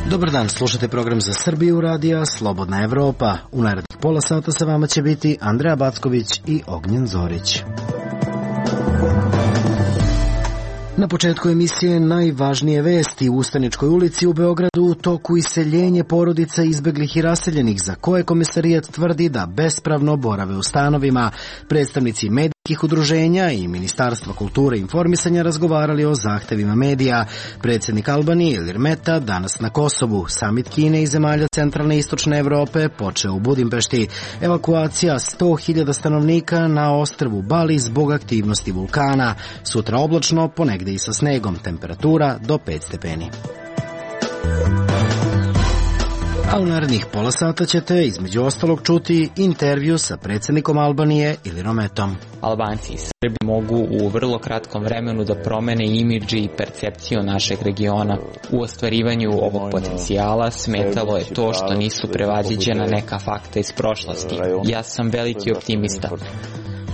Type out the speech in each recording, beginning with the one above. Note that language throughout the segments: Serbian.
Dobar dan, slušate program za Srbiju radija Slobodna Evropa. U narednih pola sata sa vama će biti Andreja Backović i Ognjen Zorić. Na početku emisije najvažnije vesti. U Ustaničkoj ulici u Beogradu u toku iseljenje porodica izbeglih i raseljenih, za koje Komesarijat tvrdi da bespravno borave u stanovima. Predstavnici medijskih udruženja i Ministarstva kulture i informisanja razgovarali o zahtevima medija. Predsjednik Albanije Ilir Meta danas na Kosovu. Samit Kine i zemalja centralne i istočne Evrope počeo u Budimpešti. Evakuacija 100.000 stanovnika na ostrvu Bali zbog aktivnosti vulkana. Sutra oblačno, ponegde i sa snegom, temperatura do 5 stepeni. A u narednih pola sata ćete između ostalog čuti intervju sa predsjednikom Albanije Ilirom Metom. Albanci i Srbi mogu u vrlo kratkom vremenu da promene imidž i percepciju našeg regiona. U ostvarivanju ovog potencijala smetalo je to što nisu prevaziđena neka fakta iz prošlosti. Ja sam veliki optimista.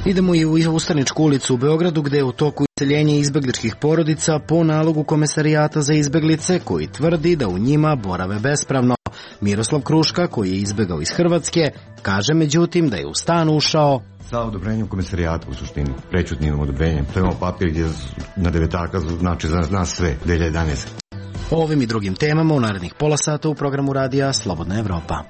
Idemo i u Ustaničku ulicu u Beogradu, gde je u toku iseljenje izbegličkih porodica po nalogu Komesarijata za izbeglice, koji tvrdi da u njima borave bespravno. Miroslav Kruška, koji je izbegao iz Hrvatske, kaže međutim da je u stan ušao sa odobrenjem Komesarijata, u suštini, prečutnim odobrenjem. To imamo papir gdje na devetaka znači za nas sve, 2011. O ovim i drugim temama u narednih pola sata u programu radija Slobodna Evropa.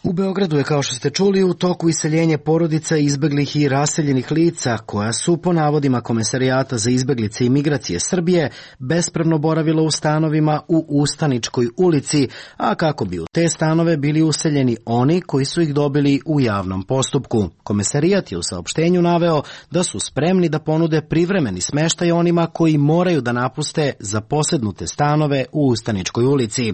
U Beogradu je, kao što ste čuli, u toku iseljenje porodica izbeglih i raseljenih lica, koja su, po navodima Komesarijata za izbeglice i migracije Srbije, bespravno boravila u stanovima u Ustaničkoj ulici, a kako bi u te stanove bili useljeni oni koji su ih dobili u javnom postupku. Komesarijat je u saopštenju naveo da su spremni da ponude privremeni smeštaj onima koji moraju da napuste zaposednute stanove u Ustaničkoj ulici.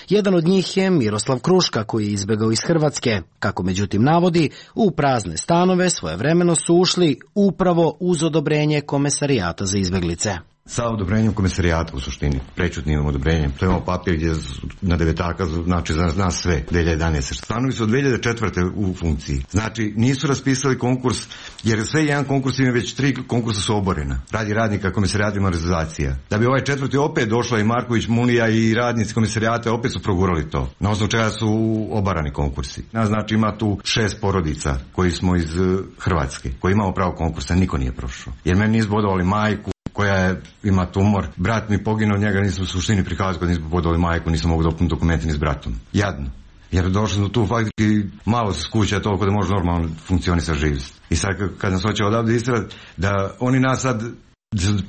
Jedan od njih je Miroslav Kruška, koji je izbegao iz Hrvatske. Kako međutim navodi, u prazne stanove svojevremeno su ušli upravo uz odobrenje Komesarijata za izbeglice. Sa odobrenjem Komesarijata, u suštini, prečutnim odobrenjem. To imamo papir gdje na devetaka znači za nas sve, 2011. Stanovi su od 2004. u funkciji. Znači, nisu raspisali konkurs, jer sve jedan konkurs ima, već 3 konkursa su oborena. Radi radnika Komesarijata i Marzizacija. Da bi ovaj četvrti opet došla i Marković, Munija i radnici Komesarijata opet su progurali to. Na osnovu čega su obarani konkursi. Znači, ima tu 6 porodica koji smo iz Hrvatske, koji imamo pravo konkursa, niko nije prošao. Jer meni nisu bodovali majku koja ima tumor. Brat mi poginuo, njega nisam u suštini prikazao kad nisam podali majku, nisam mogu dopuniti dokumenti ni s bratom. Jadno. Jer došli smo tu faktički malo se skuća toliko da može normalno funkcionisati živjeti. I sad kad nas hoće odavde istrati da oni nas sad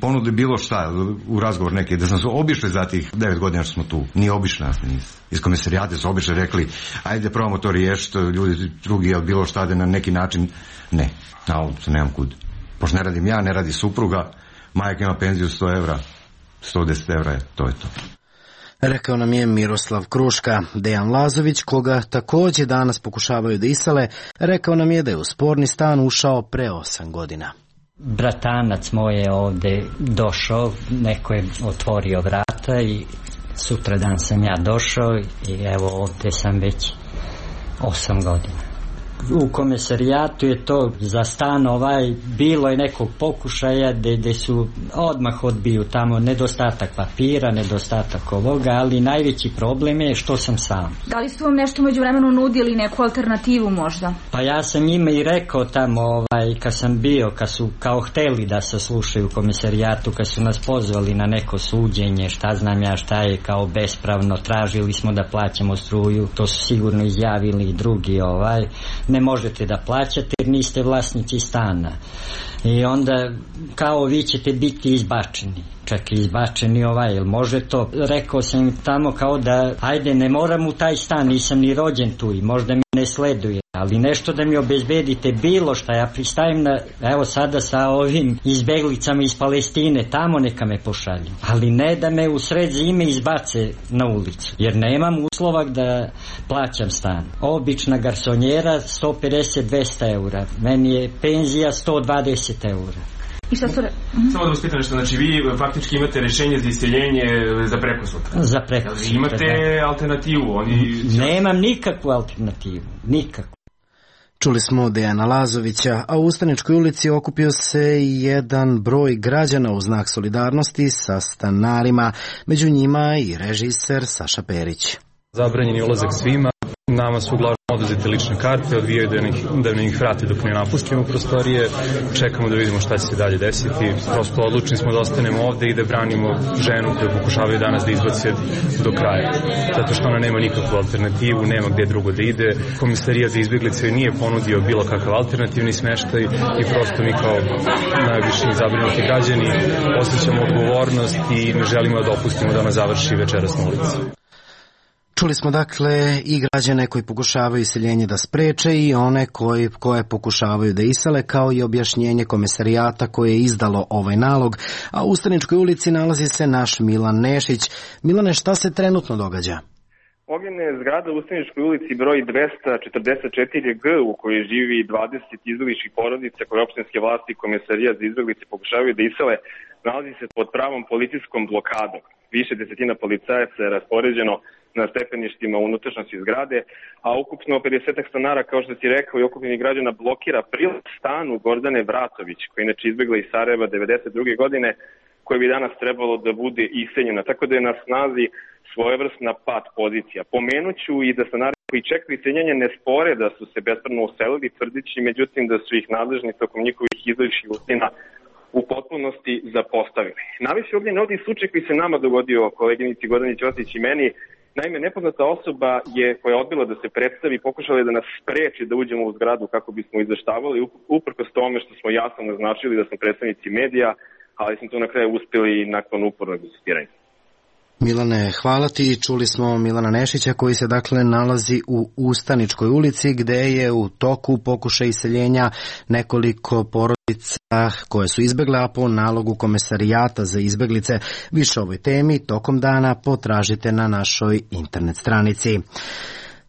ponudili bilo šta u razgovor neke, da sam se obišli za tih 9 godina što smo tu. Nije obišli nas, nisu. Iz Komesarijata su obišli, rekli ajde probamo to riješiti, ljudi drugi ili bilo šta da na neki način. Ne, na ovom se nemam kud. Pošto ne radim ja, ne radi supruga, majka ima penziju 100 evra, 110 evra je, to je to. Rekao nam je Miroslav Kruška. Dejan Lazović, koga također danas pokušavaju da isele, rekao nam je da je u sporni stan ušao pre 8 godina. Bratanac moj je ovdje došao, neko je otvorio vrata i sutradan sam ja došao i evo ovdje sam već 8 godina. U Komesarijatu je to za stan bilo je nekog pokušaja gdje su odmah odbiju tamo nedostatak papira, nedostatak ovoga, ali najveći problem je što sam sam. Da li su vam nešto međuvremenu nudili, neku alternativu možda? Pa ja sam njima i rekao tamo kad sam bio, kad su kao hteli da se slušaju u Komesarijatu, kad su nas pozvali na neko suđenje, šta znam ja šta je kao bespravno, tražili smo da plaćamo struju, to su sigurno izjavili i drugi ne možete da plaćate jer niste vlasnici stana. I onda kao vi ćete biti izbačeni. Čak izbačeni jel može to? Rekao sam im tamo kao da ajde ne moram u taj stan, nisam ni rođen tu i možda mi ne sleduje, ali nešto da mi obezbedite bilo šta, ja pristajem na, evo sada sa ovim izbeglicama iz Palestine, tamo neka me pošalju, ali ne da me u sred zime izbace na ulicu, jer nemam uslova da plaćam stan. Obična garsonjera 150-200 eura, meni je penzija 120 eura. I šta su Samo da vas pitam nešto, znači vi faktički imate rješenje za iseljenje za prekosutra. Za prekosutra, imate alternativu? Nemam nikakvu alternativu, nikakvu. Čuli smo Dejana Lazovića, a u Ustaničkoj ulici okupio se jedan broj građana u znak solidarnosti sa stanarima, među njima i režiser Saša Perić. Zabranjen je ulazak svima, nama su uglavnom oduzete lične karte, odvijaju da nam ih vrate dok ne napustimo prostorije, čekamo da vidimo šta će se dalje desiti, prosto odlučni smo da ostanemo ovde i da branimo ženu koju pokušavaju danas da izbace do kraja, zato što ona nema nikakvu alternativu, nema gde drugo da ide, Komisarijat za izbeglice nije ponudio bilo kakav alternativni smeštaj i prosto mi kao najviše zabrinuti građani osjećamo odgovornost i ne želimo da dopustimo da ona završi večeras na ulici. Čuli smo dakle i građane koji pokušavaju iseljenje da spreče i one koje pokušavaju da isele, kao i objašnjenje Komisarijata koje je izdalo ovaj nalog, a u Ustaničkoj ulici nalazi se naš Milan Nešić. Milane, šta se trenutno događa? Ognjena je zgrada u Ustaničkoj ulici broj 244G u kojoj živi 20 izbegličkih porodica koje opštinske vlasti i Komisarijat za izbeglice pokušavaju da isele, nalazi se pod pravom policijskom blokadom. Više desetina policajaca je raspoređeno na stepeništima unutrašnjosti zgrade, a ukupno 50 stanara, kao što si rekao, i okupljenih građana blokira prilaz stanu Gordane Vratović, koja je inače izbegla iz Sarajeva 92. godine, koja bi danas trebalo da bude iseljena. Tako da je na snazi svojevrsna pat pozicija. Pomenuću i da stanari koji čekaju iseljenje ne spore da su se bespravno uselili, tvrdići međutim da su ih nadležni tokom njihovih izličnih godina u potpunosti zapostavili. Navešću ovdje ovdje slučaj koji se nama dogodio, koleginici Gordani Ćosić i meni. Naime, nepoznata osoba koja je odbila da se predstavi, pokušala je da nas spreči da uđemo u zgradu kako bismo izveštavali, uprkos tome što smo jasno naznačili da smo predstavnici medija, ali smo to na kraju uspjeli nakon upornog insistiranja. Milane, hvala ti. Čuli smo Milana Nešića koji se dakle nalazi u Ustaničkoj ulici gde je u toku pokušaj iseljenja nekoliko porodica koje su izbegle, a po nalogu Komisarijata za izbeglice. Više o ovoj temi tokom dana potražite na našoj internet stranici.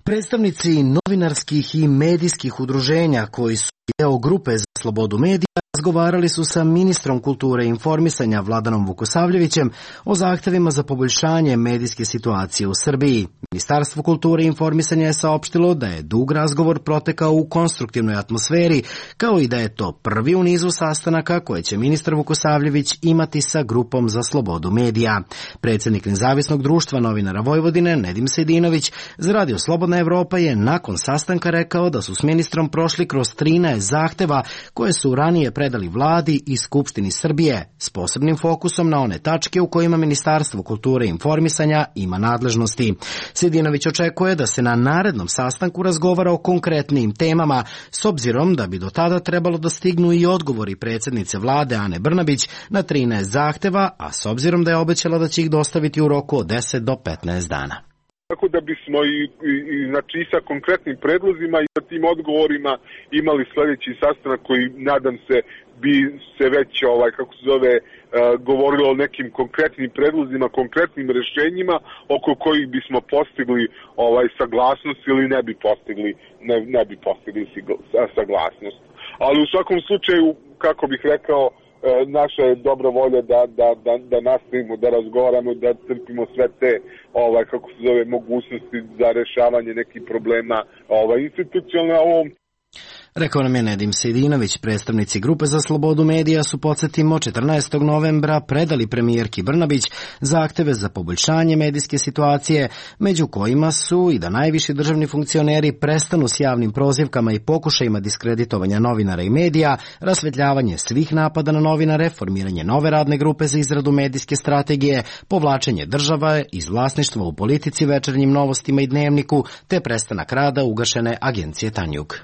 Predstavnici novinarskih i medijskih udruženja koji su deo grupe za slobodu medija razgovarali su sa ministrom kulture i informisanja Vladanom Vukosavljevićem o zahtevima za poboljšanje medijske situacije u Srbiji. Ministarstvo kulture i informisanja je saopštilo da je dug razgovor protekao u konstruktivnoj atmosferi, kao i da je to prvi u nizu sastanaka koje će ministar Vukosavljević imati sa grupom za slobodu medija. Predsjednik Nezavisnog društva novinara Vojvodine, Nedim Sejdinović, za Radio Slobodna Evropa je nakon sastanka rekao da su s ministrom prošli kroz 13 zahteva koje su ranije predali vladi i Skupštini Srbije, s posebnim fokusom na one tačke u kojima Ministarstvo kulture i informisanja ima nadležnosti. Sejdinović očekuje da se na narednom sastanku razgovara o konkretnim temama, s obzirom da bi do tada trebalo da stignu i odgovori predsjednice vlade Ane Brnabić na 13 zahteva, a s obzirom da je obećala da će ih dostaviti u roku od 10 do 15 dana. Tako da bismo znači i sa konkretnim predlozima i sa tim odgovorima imali sljedeći sastanak koji, nadam se, bi se već, govorilo o nekim konkretnim predlozima, konkretnim rješenjima oko kojih bismo postigli saglasnost ili ne bi postigli saglasnost. Ali u svakom slučaju, kako bih rekao, naša je dobra volja da nastavimo, da razgovaramo, da crpimo sve te mogućnosti za rješavanje nekih problema institucionalno. Rekao nam je Nedim Sejdinović. Predstavnici grupe za slobodu medija su, podsjetimo, 14. novembra predali premijerki Brnabić zahteve za poboljšanje medijske situacije, među kojima su i da najviši državni funkcioneri prestanu s javnim prozivkama i pokušajima diskreditovanja novinara i medija, rasvetljavanje svih napada na novinare, formiranje nove radne grupe za izradu medijske strategije, povlačenje države iz vlasništva u Politici, Večernjim novostima i Dnevniku, te prestanak rada ugašene agencije Tanjug.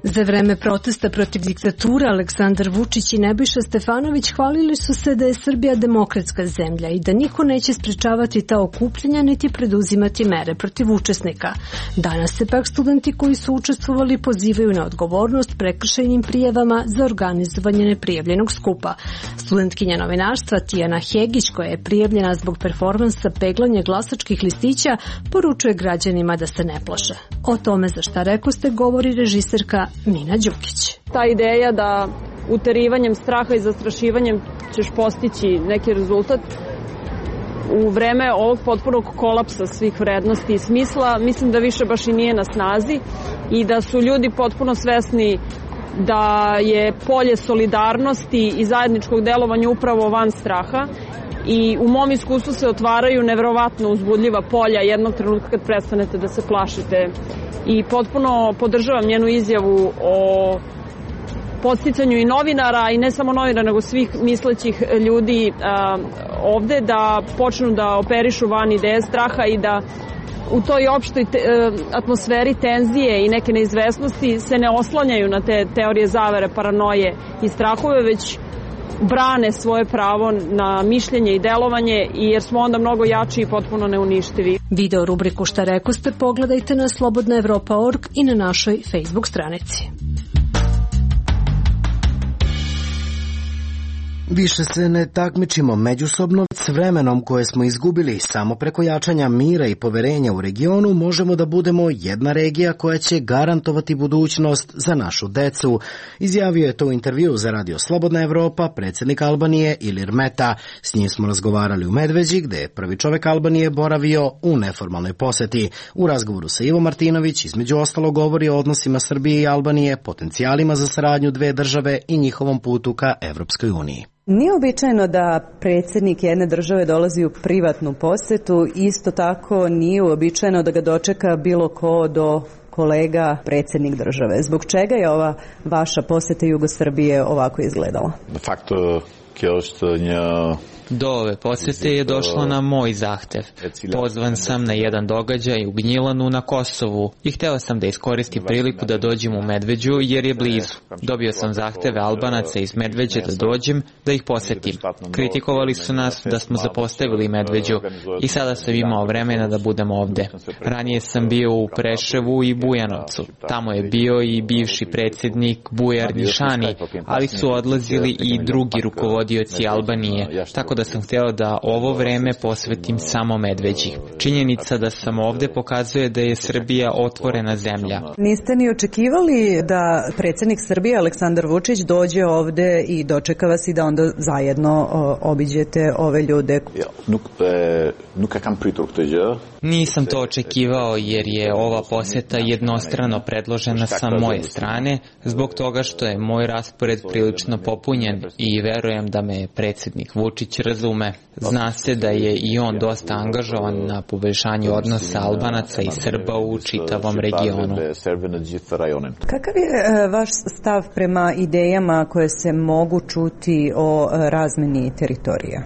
Za vreme protesta protiv diktature Aleksandar Vučić i Nebojša Stefanović hvalili su se da je Srbija demokratska zemlja i da niko neće sprečavati ta okupljanja niti preduzimati mere protiv učesnika. Danas se pak studenti koji su učestvovali pozivaju na odgovornost prekršajnim prijavama za organizovanje neprijavljenog skupa. Studentkinja novinarstva Tijana Hegić, koja je prijavljena zbog performansa peglanja glasačkih listića, poručuje građanima da se ne plaše. O tome za šta rekoste govori režiserka Mina Đukić. Ta ideja da uterivanjem straha i zastrašivanjem ćeš postići neki rezultat, u vreme ovog potpunog kolapsa svih vrednosti i smisla, mislim da više baš i nije na snazi i da su ljudi potpuno svesni da je polje solidarnosti i zajedničkog delovanja upravo van straha i u mom iskustvu se otvaraju neverovatno uzbudljiva polja jednog trenutka kad prestanete da se plašite. I potpuno podržavam njenu izjavu o podsticanju i novinara, i ne samo novinara, nego svih mislećih ljudi ovde da počnu da operišu van ideje straha i da u toj opštoj atmosferi tenzije i neke neizvesnosti se ne oslanjaju na te teorije zavere, paranoje i strahove, već brane svoje pravo na mišljenje i delovanje, jer smo onda mnogo jači i potpuno neuništivi. Video rubriku Šta rekoste pogledajte na slobodnaevropa.org i na našoj Facebook stranici. Više se ne takmičimo međusobno, s vremenom koje smo izgubili samo preko jačanja mira i poverenja u regionu možemo da budemo jedna regija koja će garantovati budućnost za našu decu. Izjavio je to u intervju za Radio Slobodna Evropa predsjednik Albanije Ilir Meta. S njim smo razgovarali u Medveđi, gde je prvi čovek Albanije boravio u neformalnoj poseti. U razgovoru sa Ivo Martinović između ostalo govori o odnosima Srbije i Albanije, potencijalima za saradnju dve države i njihovom putu ka Evropskoj uniji. Nije običajno da predsjednik jedne države dolazi u privatnu posetu, isto tako nije uobičajeno da ga dočeka bilo ko do kolega predsjednik države. Zbog čega je ova vaša poseta Jugosrbije ovako izgledala? Do ove posete je došlo na moj zahtev. Pozvan sam na jedan događaj u Gnjilanu na Kosovu i hteo sam da iskoristim priliku da dođem u Medveđu jer je blizu. Dobio sam zahteve Albanaca iz Medveđe da dođem, da ih posetim. Kritikovali su nas da smo zapostavili Medveđu i sada sam imao vremena da budem ovde. Ranije sam bio u Preševu i Bujanovcu. Tamo je bio i bivši predsjednik Bujar Nišani, ali su odlazili i drugi rukovodioci Albanije, tako da sam hteo da ovo vreme posvetim samo Medveđi. Činjenica da sam ovde pokazuje da je Srbija otvorena zemlja. Niste ni očekivali da predsjednik Srbije Aleksandar Vučić dođe ovde i dočeka vas i da onda zajedno obiđete ove ljude? Nisam to očekivao jer je ova poseta jednostrano predložena sa moje strane, zbog toga što je moj raspored prilično popunjen i verujem da me predsjednik Vučić razume. Zna se da je i on dosta angažovan na poboljšanju odnosa Albanaca i Srba u čitavom regionu. Kakav je vaš stav prema idejama koje se mogu čuti o razmeni teritorija?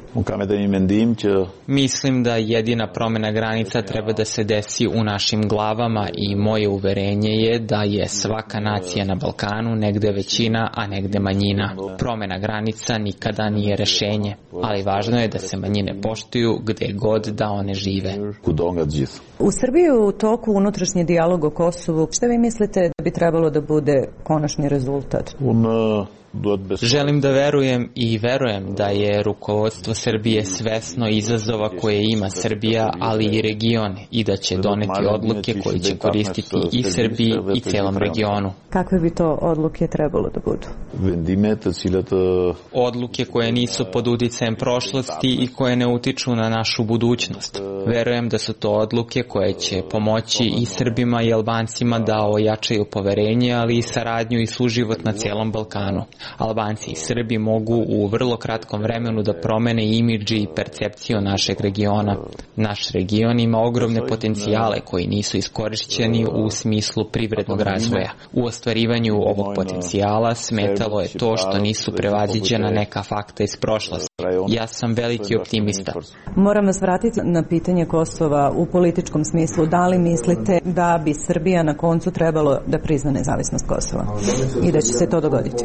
Mislim da jedina promjena granica treba da se desi u našim glavama i moje uverenje je da je svaka nacija na Balkanu negde većina, a negde manjina. Promjena granica nikada nije rešenje, ali važno je da se manjine poštuju gde god da one žive. U Srbiji je u toku unutrašnji dijalog o Kosovu. Šta vi mislite da bi trebalo da bude konačni rezultat? Želim da verujem i verujem da je rukovodstvo Srbije svesno izazova koje ima Srbija, ali i region, i da će doneti odluke koje će koristiti i Srbiji i celom regionu. Kakve bi to odluke trebalo da budu? Odluke koje nisu pod uticajem prošlosti i koje ne utiču na našu budućnost. Verujem da su to odluke koje će pomoći i Srbima i Albancima da ojačaju poverenje, ali i saradnju i suživot na celom Balkanu. Albanci i Srbi mogu u vrlo kratkom vremenu da promene imidži i percepciju našeg regiona. Naš region ima ogromne potencijale koji nisu iskorišćeni u smislu privrednog razvoja. U ostvarivanju ovog potencijala smetalo je to što nisu prevaziđena neka fakta iz prošlosti. Ja sam veliki optimista. Moram vas vratiti na pitanje Kosova u političkom smislu. Da li mislite da bi Srbija na koncu trebalo da prizna nezavisnost Kosova i da će se to dogoditi?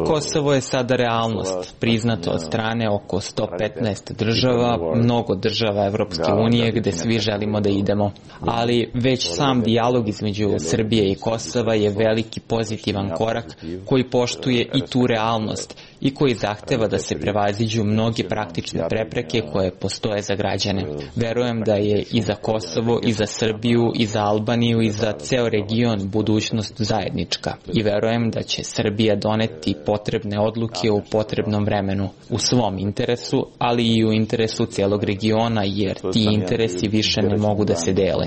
Kosovo je sada realnost, priznato od strane oko 115 država, mnogo država Evropske unije gde svi želimo da idemo. Ali već sam dijalog između Srbije i Kosova je veliki pozitivan korak koji poštuje i tu realnost i koji zahteva da se prevaziđu mnoge praktične prepreke koje postoje za građane. Verujem da je i za Kosovo, i za Srbiju, i za Albaniju, i za ceo region budućnost zajednička. I verujem da će Srbija doneti potrebne odluke u potrebnom vremenu, u svom interesu, ali i u interesu celog regiona, jer ti interesi više ne mogu da se dele.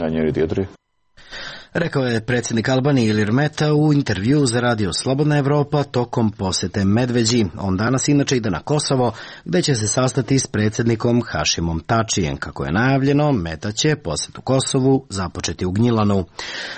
Rekao je predsjednik Albanije Ilir Meta u intervju za radio Slobodna Evropa tokom posete Medveđi. On danas inače ide na Kosovo, gde će se sastati s predsjednikom Hašimom Tačijem. Kako je najavljeno, Meta će posetu Kosovu započeti u Gnjilanu.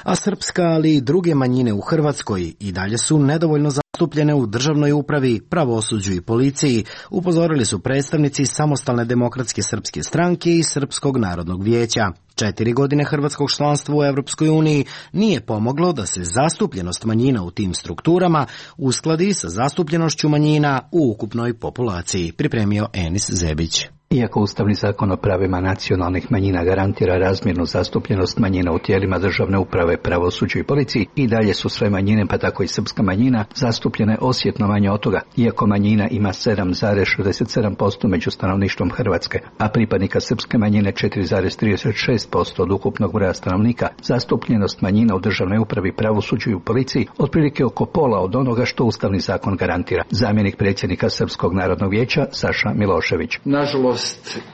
A srpska, ali i druge manjine u Hrvatskoj i dalje su nedovoljno zastupljene u državnoj upravi, pravosuđu i policiji, upozorili su predstavnici Samostalne demokratske srpske stranke i Srpskog narodnog vijeća. 4 godine hrvatskog članstva u Evropskoj uniji nije pomoglo da se zastupljenost manjina u tim strukturama uskladi sa zastupljenošću manjina u ukupnoj populaciji, pripremio Enis Zebić. Iako Ustavni zakon o pravima nacionalnih manjina garantira razmjernu zastupljenost manjina u tijelima državne uprave, pravosuđu i policiji, i dalje su sve manjine, pa tako i srpska manjina, zastupljene osjetno manje od toga, iako manjina ima 7,67% među stanovništvom Hrvatske, a pripadnika srpske manjine 4,36% od ukupnog broja stanovnika. Zastupljenost manjina u državnoj upravi, pravosuđu i u policiji otprilike oko pola od onoga što Ustavni zakon garantira. Zamjenik predsjednika Srpskog narodnog vijeća Saša Milošević. Nažalost,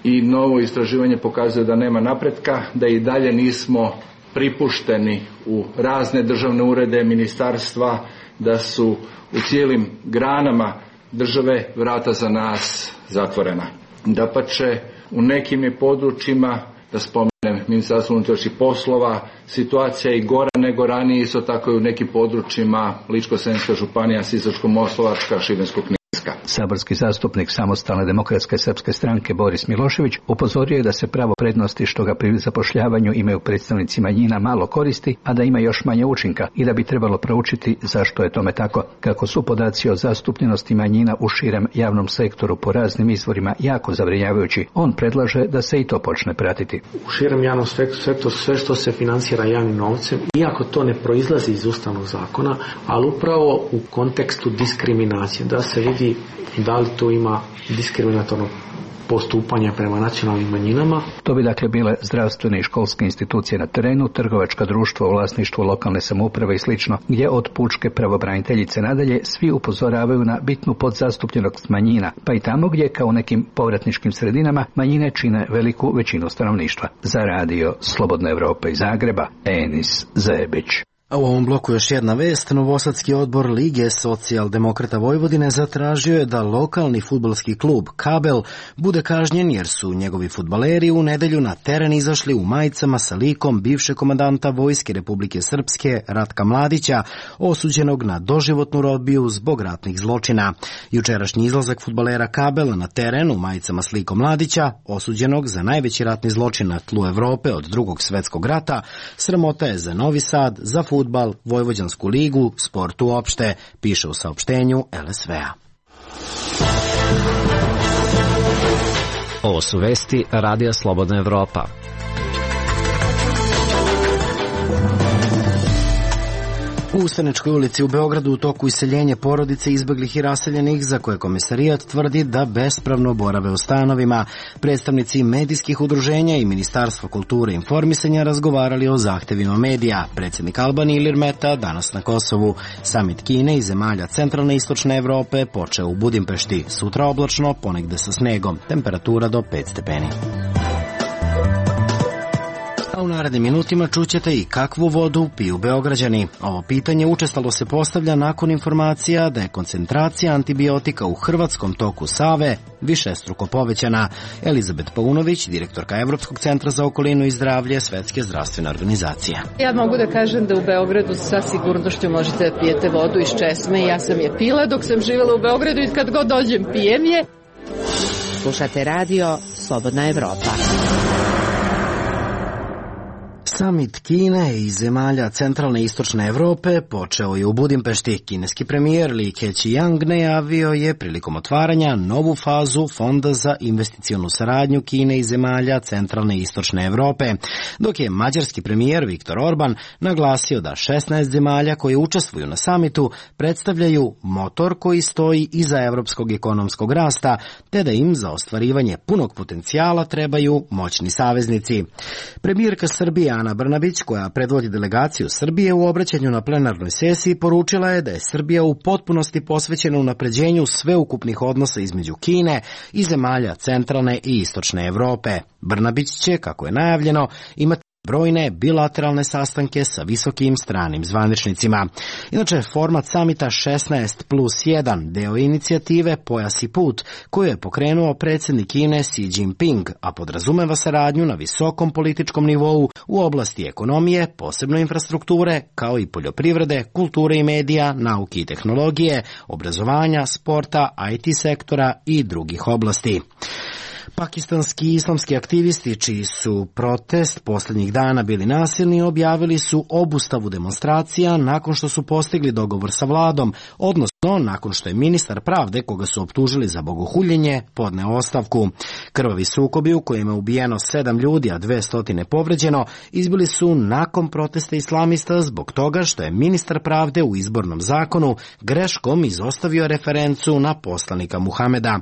i novo istraživanje pokazuje da nema napretka, da i dalje nismo pripušteni u razne državne urede, ministarstva, da su u cijelim granama države vrata za nas zatvorena. Dapače, u nekim je područjima, da spomenem Ministarstvo unutrašnjih poslova, situacija je i gora nego ranije, isto tako i u nekim područjima Ličko-senjska županija, Sisačko-moslavačka, Šibensko-kninska. Saborski zastupnik Samostalne demokratske srpske stranke Boris Milošević upozorio je da se pravo prednosti što ga pri zapošljavanju imaju predstavnici manjina malo koristi, a da ima još manje učinka i da bi trebalo proučiti zašto je tome tako. Kako su podaci o zastupljenosti manjina u širem javnom sektoru po raznim izvorima jako zabrinjavajući, on predlaže da se i to počne pratiti. U širem javnom sektoru sve što se financira javnim novcem, iako to ne proizlazi iz Ustavnog zakona, ali upravo u kontekstu diskriminacije, da se vidi da li to ima diskriminatorno postupanje prema nacionalnim manjinama. To bi dakle bile zdravstvene i školske institucije na terenu, trgovačka društva u vlasništvu lokalne samouprave i slično, gdje od pučke pravobraniteljice nadalje svi upozoravaju na bitnu podzastupljenost manjina, pa i tamo gdje, kao u nekim povratničkim sredinama, manjine čine veliku većinu stanovništva. Za radio Slobodna Evropa iz Zagreba, Enis Zebić. A u ovom bloku još jedna vest. Novosadski odbor Lige socijaldemokrata Vojvodine zatražio je da lokalni fudbalski klub Kabel bude kažnjen jer su njegovi fudbaleri u nedelju na teren izašli u majicama sa likom bivšeg komandanta Vojske Republike Srpske Ratka Mladića, osuđenog na doživotnu robiju zbog ratnih zločina. Jučerašnji izlazak fudbalera Kabela na teren u majicama s likom Mladića, osuđenog za najveći ratni zločin na tlu Evrope od Drugog svjetskog rata, sramota je za Novi Sad, za fudbal, Vojvođansku ligu, sport uopšte, piše u saopštenju LSV-a. Ovo su vesti Radija Slobodna Evropa. U Ustaničkoj ulici u Beogradu u toku iseljenja porodice izbeglih i raseljenih za koje komisarijat tvrdi da bespravno borave u stanovima. Predstavnici medijskih udruženja i Ministarstva kulture i informisanja razgovarali o zahtevima medija. Predsjednik Albanije Ilir Meta danas na Kosovu. Samit Kine i zemalja centralne i istočne Evrope počeo u Budimpešti. Sutra oblačno, ponegde sa snegom. Temperatura do 5 stepeni. A u narednim minutima čućete i kakvu vodu piju Beograđani. Ovo pitanje učestalo se postavlja nakon informacija da je koncentracija antibiotika u hrvatskom toku Save višestruko povećana. Elizabet Paunović, direktorka Evropskog centra za okolinu i zdravlje Svetske zdravstvene organizacije. Ja mogu da kažem da u Beogradu sa sigurnošću možete da pijete vodu iz česme. Ja sam je pila dok sam živjela u Beogradu i kad god dođem pijem je. Slušate radio Slobodna Evropa. Samit Kine i zemalja centralne i istočne Evrope počeo je u Budimpešti. Kineski premijer Li Keqiang najavio je prilikom otvaranja novu fazu Fonda za investicionu saradnju Kine i zemalja centralne i istočne Evrope, dok je mađarski premijer Viktor Orban naglasio da 16 zemalja koje učestvuju na samitu predstavljaju motor koji stoji iza evropskog ekonomskog rasta, te da im za ostvarivanje punog potencijala trebaju moćni saveznici. Premijerka Srbije Ana Brnabić, koja predvodi delegaciju Srbije, u obraćanju na plenarnoj sesiji poručila je da je Srbija u potpunosti posvećena unapređenju sveukupnih odnosa između Kine i zemalja centralne i istočne Evrope. Brnabić će, kako je najavljeno, imati brojne bilateralne sastanke sa visokim stranim zvaničnicima. Inače, format samita 16+1 deo inicijative Pojas i put, koju je pokrenuo predsjednik Kine Xi Jinping, a podrazumeva saradnju na visokom političkom nivou u oblasti ekonomije, posebno infrastrukture, kao i poljoprivrede, kulture i medija, nauke i tehnologije, obrazovanja, sporta, IT sektora i drugih oblasti. Pakistanski islamski aktivisti, čiji su protest posljednjih dana bili nasilni, objavili su obustavu demonstracija nakon što su postigli dogovor sa vladom, odnosno nakon što je ministar pravde, koga su optužili za bogohuljenje, podneo ostavku. Krvavi sukobi u kojima je ubijeno 7 ljudi, a 200 povređeno, izbili su nakon protesta islamista zbog toga što je ministar pravde u izbornom zakonu greškom izostavio referencu na poslanika Muhameda.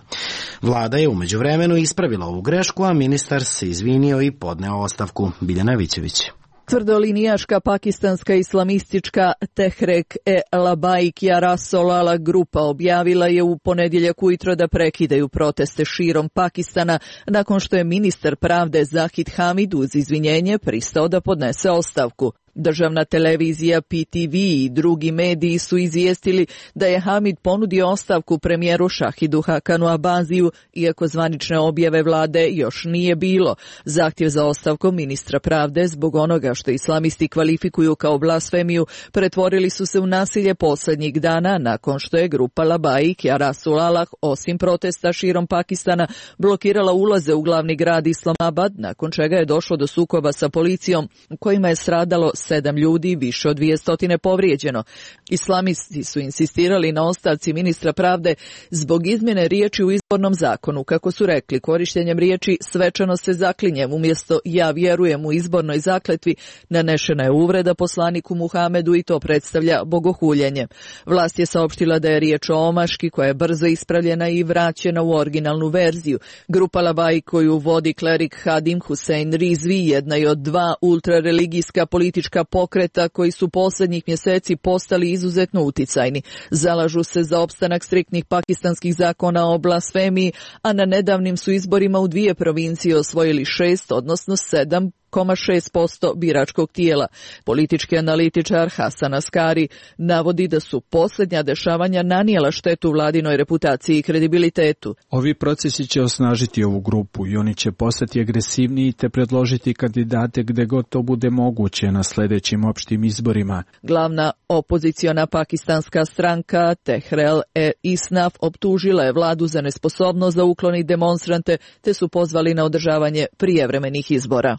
Vlada je u međuvremenu ispravila ovu grešku, a ministar se izvinio i podneo ostavku. Biljana Vićević. Tvrdolinijaška pakistanska islamistička Tehrek-e-Labaik Jarasolala grupa objavila je u ponedjeljak ujutro da prekidaju proteste širom Pakistana nakon što je ministar pravde Zahid Hamid uz izvinjenje pristao da podnese ostavku. Državna televizija PTV i drugi mediji su izvijestili da je Hamid ponudio ostavku premijeru Shahidu Hakanu Abaziju, iako zvanične objave vlade još nije bilo. Zahtjev za ostavkom ministra pravde zbog onoga što islamisti kvalifikuju kao blasfemiju pretvorili su se u nasilje posljednjih dana nakon što je grupa Labaik Jarasullah osim protesta širom Pakistana blokirala ulaze u glavni grad Islamabad, nakon čega je došlo do sukoba sa policijom u kojima je stradalo 7 ljudi, više od 200 povrijeđeno. Islamisti su insistirali na ostavci ministra pravde zbog izmjene riječi u izbornom zakonu. Kako su rekli, korištenjem riječi svečano se zaklinjem umjesto ja vjerujem u izbornoj zakletvi nanešena je uvreda poslaniku Muhamedu i to predstavlja bogohuljenje. Vlast je saopštila da je riječ o omaški koja je brzo ispravljena i vraćena u originalnu verziju. Grupa Labaik koju vodi klerik Hadim Hussein Rizvi jedna je od 2 ultrareligijska politička pokreta koji su posljednjih mjeseci postali izuzetno uticajni. Zalažu se za opstanak striktnih pakistanskih zakona o blasfemiji, a na nedavnim su izborima u 2 provincije osvojili 6, odnosno 7,6% biračkog tijela. Politički analitičar Hasan Askari navodi da su posljednja dešavanja nanijela štetu vladinoj reputaciji i kredibilitetu. Ovi procesi će osnažiti ovu grupu i oni će postati agresivniji te predložiti kandidate gde god to bude moguće na sljedećim opštim izborima. Glavna opoziciona pakistanska stranka Tehrek-e-Isnaf optužila je vladu za nesposobnost da ukloni demonstrante te su pozvali na održavanje prijevremenih izbora.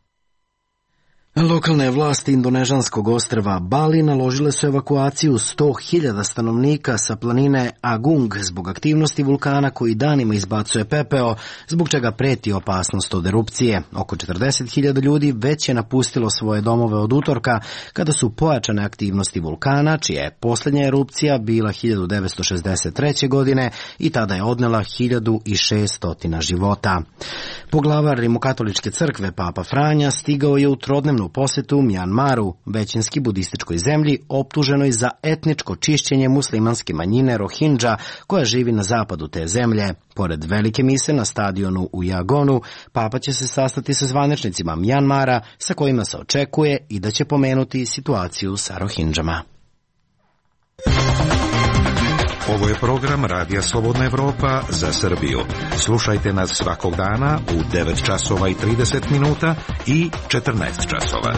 Lokalne vlasti indonežanskog ostrva Bali naložile su evakuaciju 100.000 stanovnika sa planine Agung zbog aktivnosti vulkana koji danima izbacuje pepeo, zbog čega preti opasnost od erupcije. Oko 40.000 ljudi već je napustilo svoje domove od utorka kada su pojačane aktivnosti vulkana, čija je posljednja erupcija bila 1963. godine i tada je odnela 1600 života. Poglavar Rimokatoličke crkve Papa Franja stigao je u trodnevnu posjetu Mjanmaru, većinski budističkoj zemlji, optuženoj za etničko čišćenje muslimanske manjine Rohingya koja živi na zapadu te zemlje. Pored velike mise na stadionu u Yagonu, Papa će se sastati sa zvaničnicima Mjanmara sa kojima se očekuje i da će pomenuti situaciju sa Rohingjama. Ovo je program Radija Slobodna Evropa za Srbiju. Slušajte nas svakog dana u 9 časova i 30 minuta i 14 časova.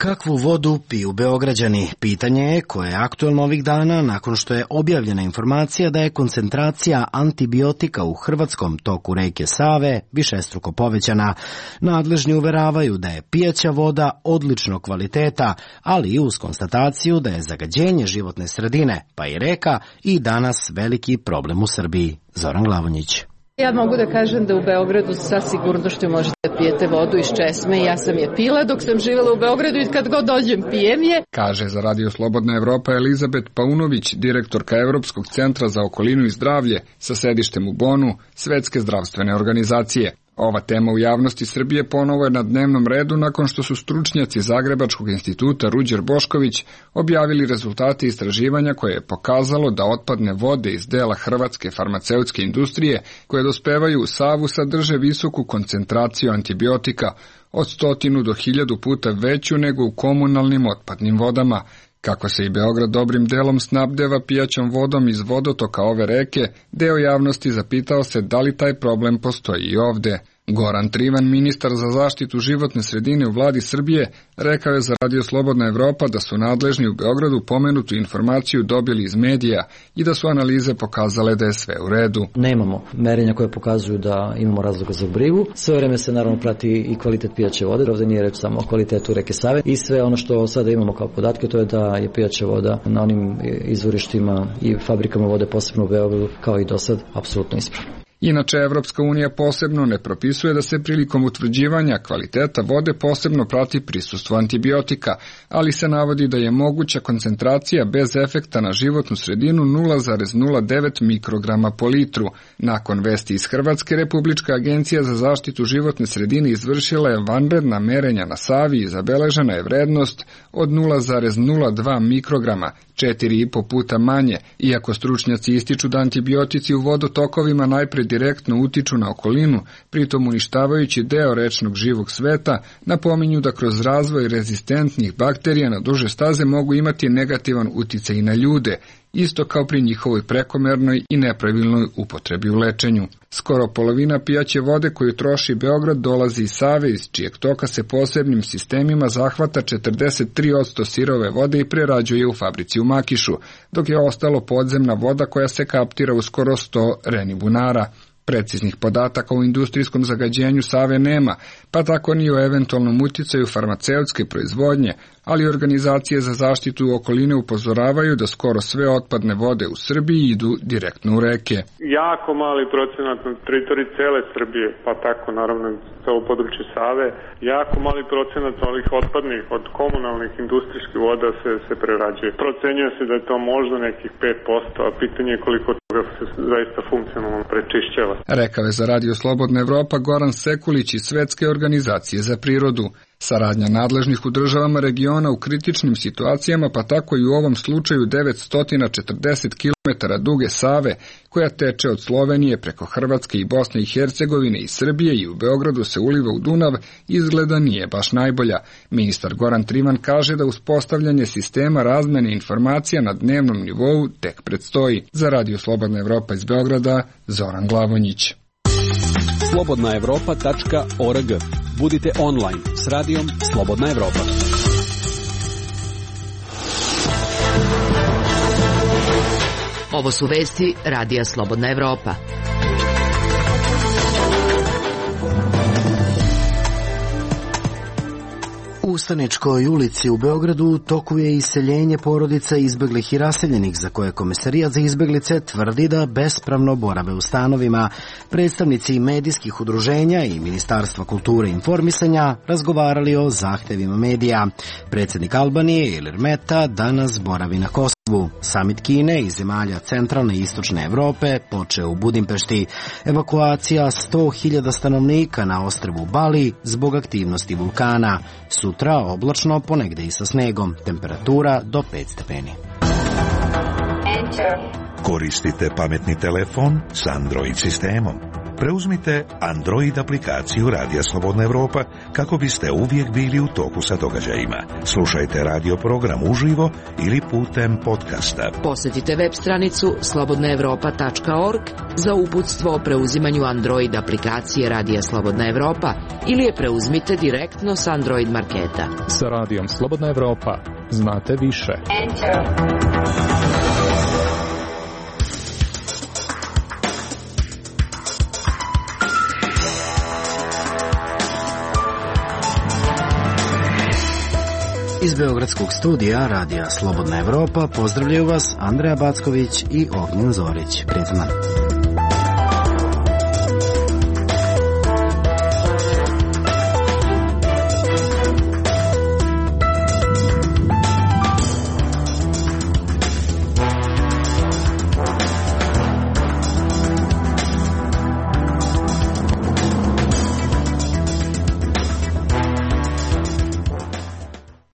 Kakvu vodu piju Beograđani? Pitanje je koje je aktuelno ovih dana nakon što je objavljena informacija da je koncentracija antibiotika u hrvatskom toku reke Save višestruko povećana. Nadležni uveravaju da je pijaća voda odličnog kvaliteta, ali i uz konstataciju da je zagađenje životne sredine, pa i reka, i danas veliki problem u Srbiji. Zoran Glavonjić. Ja mogu da kažem da u Beogradu sa sigurnošću možete da pijete vodu iz česme. Ja sam je pila dok sam živjela u Beogradu i kad god dođem pijem je. Kaže za Radio Slobodna Evropa Elizabet Paunović, direktorka Evropskog centra za okolinu i zdravlje sa sedištem u Bonu, Svetske zdravstvene organizacije. Ova tema u javnosti Srbije ponovo je na dnevnom redu nakon što su stručnjaci Zagrebačkog instituta Ruđer Bošković objavili rezultate istraživanja koje je pokazalo da otpadne vode iz dela hrvatske farmaceutske industrije koje dospevaju u Savu sadrže visoku koncentraciju antibiotika od 100 do 1000 puta veću nego u komunalnim otpadnim vodama. Kako se i Beograd dobrim delom snabdeva pijaćom vodom iz vodotoka ove reke, deo javnosti zapitao se da li taj problem postoji i ovde. Goran Trivan, ministar za zaštitu životne sredine u vladi Srbije, rekao je za Radio Slobodna Evropa da su nadležni u Beogradu pomenutu informaciju dobili iz medija i da su analize pokazale da je sve u redu. Nemamo merenja koje pokazuju da imamo razloga za brigu. Sve vreme se naravno prati i kvalitet pijaće vode. Ovde nije reč samo o kvalitetu reke Save. I sve ono što sada imamo kao podatke, to je da je pijaća voda na onim izvorištima i fabrikama vode, posebno u Beogradu, kao i do sad, apsolutno ispravna. Inače, Evropska unija posebno ne propisuje da se prilikom utvrđivanja kvaliteta vode posebno prati prisustvo antibiotika, ali se navodi da je moguća koncentracija bez efekta na životnu sredinu 0,09 mikrograma po litru. Nakon vesti iz Hrvatske, Republička agencija za zaštitu životne sredine izvršila je vanredna merenja na Savi i zabeležena je vrednost od 0,02 mikrograma, 4,5 puta manje, iako stručnjaci ističu da antibiotici u vodotokovima najpre direktno utiču na okolinu, pritom uništavajući deo rečnog živog sveta, napominju da kroz razvoj rezistentnih bakterija na duže staze mogu imati negativan uticaj i na ljude, isto kao pri njihovoj prekomernoj i nepravilnoj upotrebi u lečenju. Skoro polovina pijaće vode koju troši Beograd dolazi iz Save, iz čijeg toka se posebnim sistemima zahvata 43% sirove vode i prerađuje u fabrici u Makišu, dok je ostalo podzemna voda koja se kaptira u skoro 100 renibunara. Preciznih podataka o industrijskom zagađenju Save nema, pa tako ni o eventualnom uticaju farmaceutske proizvodnje, ali organizacije za zaštitu okoline upozoravaju da skoro sve otpadne vode u Srbiji idu direktno u reke. Jako mali procenat na teritoriji cele Srbije, pa tako naravno celo područje Save, jako mali procenat ovih otpadnih od komunalnih industrijskih voda se prerađuje. Procenjuje se da je to možda nekih 5%, a pitanje je koliko toga se zaista funkcionalno prečišćava. Rekao je za Radio Slobodna Evropa Goran Sekulić iz Svetske organizacije za prirodu. Saradnja nadležnih u državama regiona u kritičnim situacijama, pa tako i u ovom slučaju 940 km duge Save, koja teče od Slovenije preko Hrvatske i Bosne i Hercegovine i Srbije i u Beogradu se uliva u Dunav, izgleda nije baš najbolja. Ministar Goran Trivan kaže da uspostavljanje sistema razmene informacija na dnevnom nivou tek predstoji. Za Radio Slobodna Evropa iz Beograda, Zoran Glavonjić. slobodnaevropa.org. Budite online s radijom Slobodna Evropa. Ovo su vesti Radija Slobodna Evropa. U Ustaničkoj ulici u Beogradu u toku je iseljenje porodica izbeglih i raseljenih, za koje Komesarijat za izbeglice tvrdi da bespravno borave u stanovima. Predstavnici medijskih udruženja i Ministarstva kulture i informisanja razgovarali o zahtevima medija. Predsjednik Albanije Ilir Meta danas boravi na Kosovu. Samit Kine i zemalja centralne i istočne Evrope počeo u Budimpešti. Evakuacija 100.000 stanovnika na ostrvu Bali zbog aktivnosti vulkana. Sutra oblačno, ponegde i sa snegom. Temperatura do 5 stepeni. Koristite pametni telefon s Android sistemom. Preuzmite Android aplikaciju Radija Slobodna Evropa kako biste uvijek bili u toku sa događajima. Slušajte radio program uživo ili putem podcasta. Posjetite web stranicu slobodnaevropa.org za uputstvo o preuzimanju Android aplikacije Radija Slobodna Evropa ili je preuzmite direktno s Android marketa. Sa Radijom Slobodna Evropa znate više. Iz Beogradskog studija Radija Slobodna Evropa pozdravljaju vas Andreja Backović i Ognjen Zorić. Prijetan dan.